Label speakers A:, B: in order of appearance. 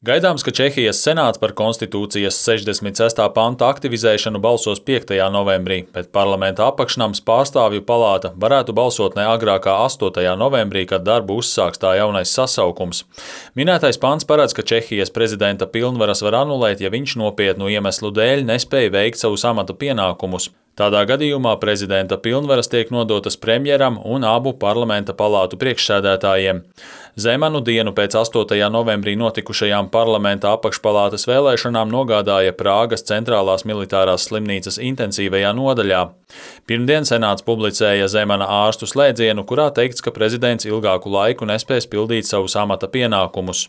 A: Gaidāms, ka Čehijas senāts par konstitūcijas 66. panta aktivizēšanu balsos 5. novembrī, bet parlamenta apakšnams pārstāvju palāta varētu balsot ne agrāk kā 8. novembrī, kad darbu uzsāks tā jaunais sasaukums. Minētais pants paredz, ka Čehijas prezidenta pilnvaras var anulēt, ja viņš nopietnu iemeslu dēļ nespēja veikt savus amata pienākumus. Tādā gadījumā prezidenta pilnvaras tiek nodotas premjeram un abu parlamenta palātu priekšsēdētājiem. Zemanu dienu pēc 8. novembrī notikušajām parlamenta apakšpalātas vēlēšanām nogādāja Prāgas centrālās militārās slimnīcas intensīvajā nodaļā. Pirmdien senāts publicēja Zemana ārstu slēdzienu, kurā teikts, ka prezidents ilgāku laiku nespēs pildīt savus amata pienākumus.